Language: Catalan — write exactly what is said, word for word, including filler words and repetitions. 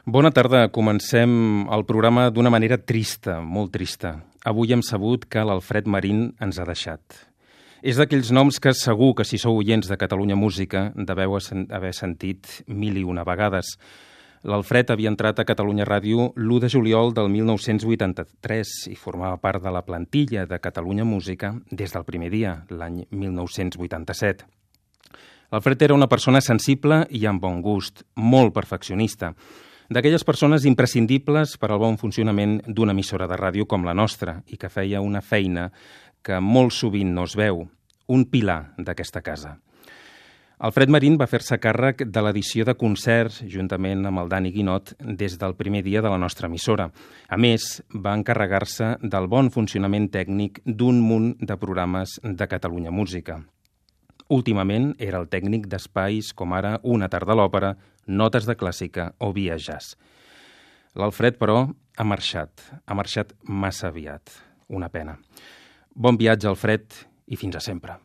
Bona tarda. Comencem el programa d'una manera trista, molt trista. Avui hem sabut que l'Alfred Marín ens ha deixat. És d'aquells noms que segur que si sou oients de Catalunya Música deveu haver sentit mil i una vegades. L'Alfred havia entrat a Catalunya Ràdio l'u de juliol del mil nou-cents vuitanta-tres i formava part de la plantilla de Catalunya Música des del primer dia, l'any mil nou-cents vuitanta-set. L'Alfred era una persona sensible i amb bon gust, molt perfeccionista, d'aquelles persones imprescindibles per al bon funcionament d'una emissora de ràdio com la nostra i que feia una feina que molt sovint no es veu, un pilar d'aquesta casa. Alfred Marín va fer-se càrrec de l'edició de concerts juntament amb el Dani Guinot des del primer dia de la nostra emissora. A més, va encarregar-se del bon funcionament tècnic d'un munt de programes de Catalunya Música. Últimament era el tècnic d'espais com ara Una tarda a l'òpera, Notes de clàssica o Via Jazz. L'Alfred, però, ha marxat. Ha marxat massa aviat. Una pena. Bon viatge, Alfred, i fins a sempre.